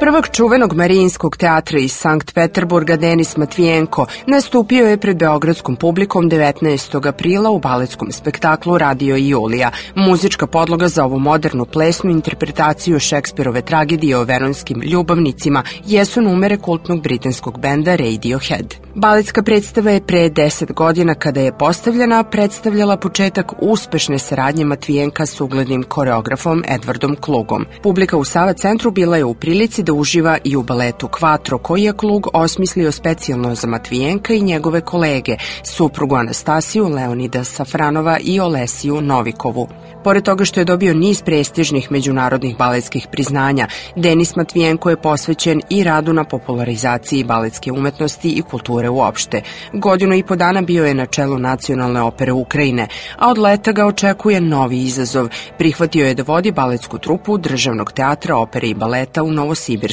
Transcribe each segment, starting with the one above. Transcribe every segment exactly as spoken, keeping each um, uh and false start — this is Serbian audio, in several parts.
Prvak čuvenog Marijinskog teatra iz Sankt Peterburga Denis Matvijenko nastupio je pred beogradskom publikom devetnaestog aprila u baletskom spektaklu Radio Julija. Muzička podloga za ovu modernu plesnu interpretaciju Šekspirove tragedije o veronskim ljubavnicima jesu numere kultnog britanskog benda Radiohead. Baletska predstava je pre deset godina kada je postavljena predstavljala početak uspešne saradnje Matvijenka s uglednim koreografom Edwardom Klugom. Publika u Sava centru bila je u prilici da uživa i u baletu Quattro, koji je Klug osmislio specijalno za Matvijenka i njegove kolege, suprugu Anastasiju, Leonida Safranova i Olesiju Novikovu. Pored toga što je dobio niz prestižnih međunarodnih baletskih priznanja, Denis Matvijenko je posvećen i radu na popularizaciji baletske umetnosti i kulture uopšte. Godinu i po dana bio je na čelu Nacionalne opere Ukrajine, a od leta ga očekuje novi izazov. Prihvatio je da vodi baletsku trupu Državnog teatra opere i baleta u Novosibirsku.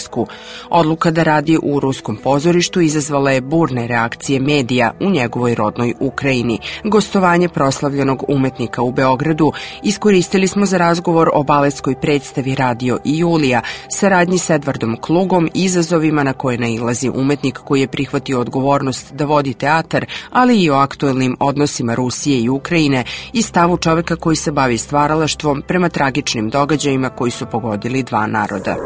Odluka da radi u ruskom pozorištu izazvala je burne reakcije medija u njegovoj rodnoj Ukrajini. Gostovanje proslavljenog umetnika u Beogradu iskoristili smo za razgovor o baletskoj predstavi Radio i Julija, saradnji s Edwardom Klugom, izazovima na koje nailazi umetnik koji je prihvatio odgovornost da vodi teatar, ali i o aktuelnim odnosima Rusije i Ukrajine i stavu čoveka koji se bavi stvaralaštvom prema tragičnim događajima koji su pogodili dva naroda.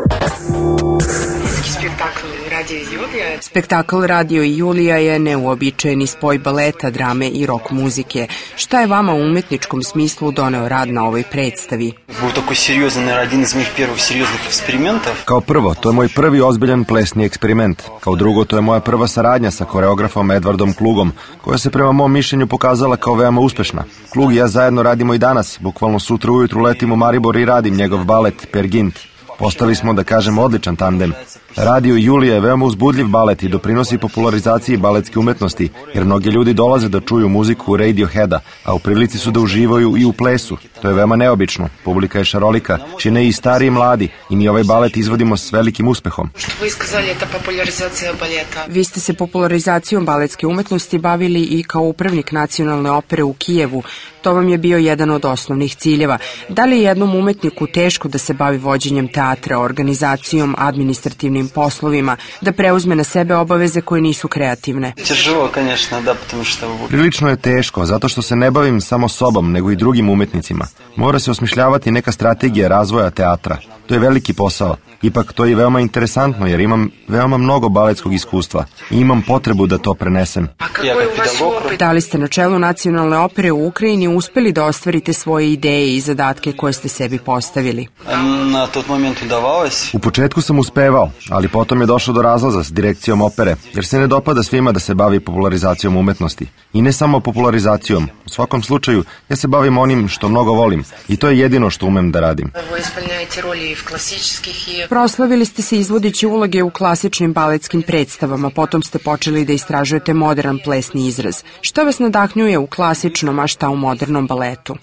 Spektakl Radio i Julija je neuobičajeni spoj baleta, drame i rock muzike. Šta je vama u umetničkom smislu doneo rad na ovoj predstavi? Kao prvo, to je moj prvi ozbiljan plesni eksperiment. Kao drugo, to je moja prva saradnja sa koreografom Edwardom Klugom, koja se prema mom mišljenju pokazala kao veoma uspešna. Klug i ja zajedno radimo i danas. Bukvalno sutra ujutru letim u Maribor i radim njegov balet Per Gint. Postali smo, da kažem, odličan tandem. Radio Julija je veoma uzbudljiv balet i doprinosi popularizaciji baletske umetnosti, jer mnogi ljudi dolaze da čuju muziku Radioheada, a u prilici su da uživaju i u plesu. To je veoma neobično. Publika je šarolika, čine i stari i mladi, i mi ovaj balet izvodimo s velikim uspehom. Vi ste se popularizacijom baletske umetnosti bavili i kao upravnik Nacionalne opere u Kijevu. To vam je bio jedan od osnovnih ciljeva. Da li je jednom umetniku teško da se bavi vođenjem teatra, organizacijom, administrativnim poslovima, da preuzme na sebe obaveze koje nisu kreativne? Prilično je teško, zato što se ne bavim samo sobom, nego i drugim umetnicima. Mora se osmišljavati neka strategija razvoja teatra. To je veliki posao. Ipak to je veoma interesantno, jer imam veoma mnogo baletskog iskustva i imam potrebu da to prenesem. Da li ste na čelu Nacionalne opere u Ukrajini uspeli da ostvarite svoje ideje i zadatke koje ste sebi postavili? U početku sam uspevao, ali potom je došlo do razlaza s direkcijom opere, jer se ne dopada svima da se bavi popularizacijom umetnosti. I ne samo popularizacijom. U svakom slučaju, ja se bavim onim što mnogo volim i to je jedino što umem da radim. Proslavili ste se izvodeći uloge u klasičnim baletskim predstavama, potom ste počeli da istražujete modern plesni izraz. Šta vas nadahnjuje u klasičnom, a šta u modernom baletu?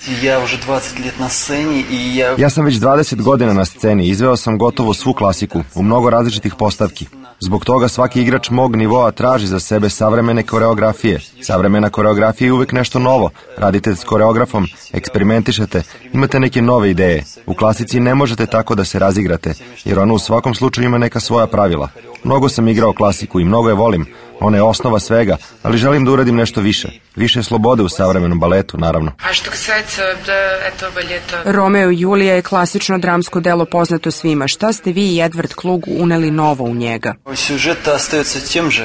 Ja sam već dvadeset godina na sceni, izveo sam gotovo svu klasiku, u mnogo različitih postavki. Zbog toga svaki igrač mog nivoa traži za sebe savremene koreografije. Savremena koreografija je uvek nešto novo. Radite s koreografom, eksperimentišete, imate neke nove ideje. U klasici ne možete tako da se razigrate, jer ona u svakom slučaju ima neka svoja pravila. Mnogo sam igrao klasiku i mnogo je volim. Ona je osnova svega, ali želim da uradim nešto više. Više slobode u savremenom baletu, naravno. Romeo i Julija je klasično dramsko delo poznato svima. Šta ste vi i Edward Klug uneli novo u njega?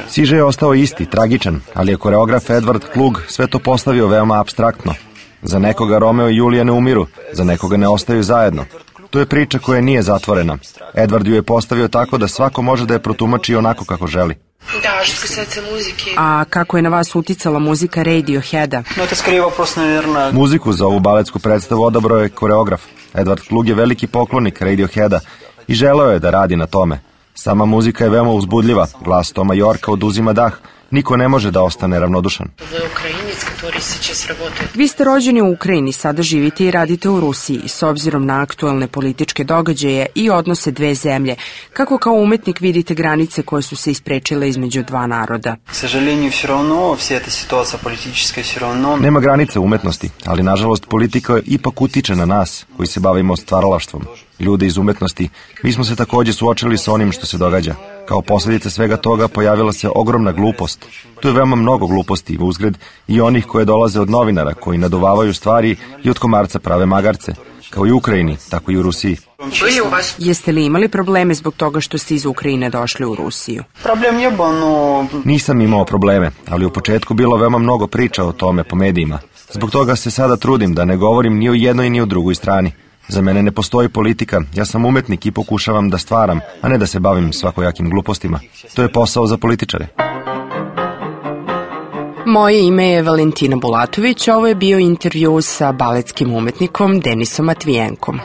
Siže je ostao isti, tragičan, ali je koreograf Edward Klug sve to postavio veoma apstraktno. Za nekoga Romeo i Julija ne umiru, za nekoga ne ostaju zajedno. To je priča koja nije zatvorena. Edward ju je postavio tako da svako može da je protumači onako kako želi. A kako je na vas uticala muzika Radioheada? Muziku za ovu baletsku predstavu odabrao je koreograf. Edward Klug je veliki poklonik Radioheada i želeo je da radi na tome. Sama muzika je veoma uzbudljiva, glas Toma Yorka oduzima dah. Niko ne može da ostane ravnodušan. Vi ste rođeni u Ukrajini, sada živite i radite u Rusiji. S obzirom na aktuelne političke događaje i odnose dve zemlje, kako kao umetnik vidite granice koje su se isprečile između dva naroda? Nema granice umetnosti, ali nažalost politika ipak utiče na nas koji se bavimo stvaralaštvom. ljude iz umetnosti, mi smo se takođe suočili sa onim što se događa. Kao posljedica svega toga pojavila se ogromna glupost. Tu je veoma mnogo gluposti uzgred i onih koje dolaze od novinara, koji naduvavaju stvari i od komarca prave magarce, kao i u Ukrajini, tako i u Rusiji. Jeste li imali probleme zbog toga što ste iz Ukrajine došli u Rusiju? Problem je no... Nisam imao probleme, ali u početku bilo veoma mnogo priča o tome po medijima. Zbog toga se sada trudim da ne govorim ni o jednoj ni o drugoj strani. Za mene ne postoji politika, ja sam umetnik i pokušavam da stvaram, a ne da se bavim svakojakim glupostima. To je posao za političare. Moje ime je Valentina Bulatović, ovo je bio intervju sa baletskim umetnikom Denisom Matvijenkom.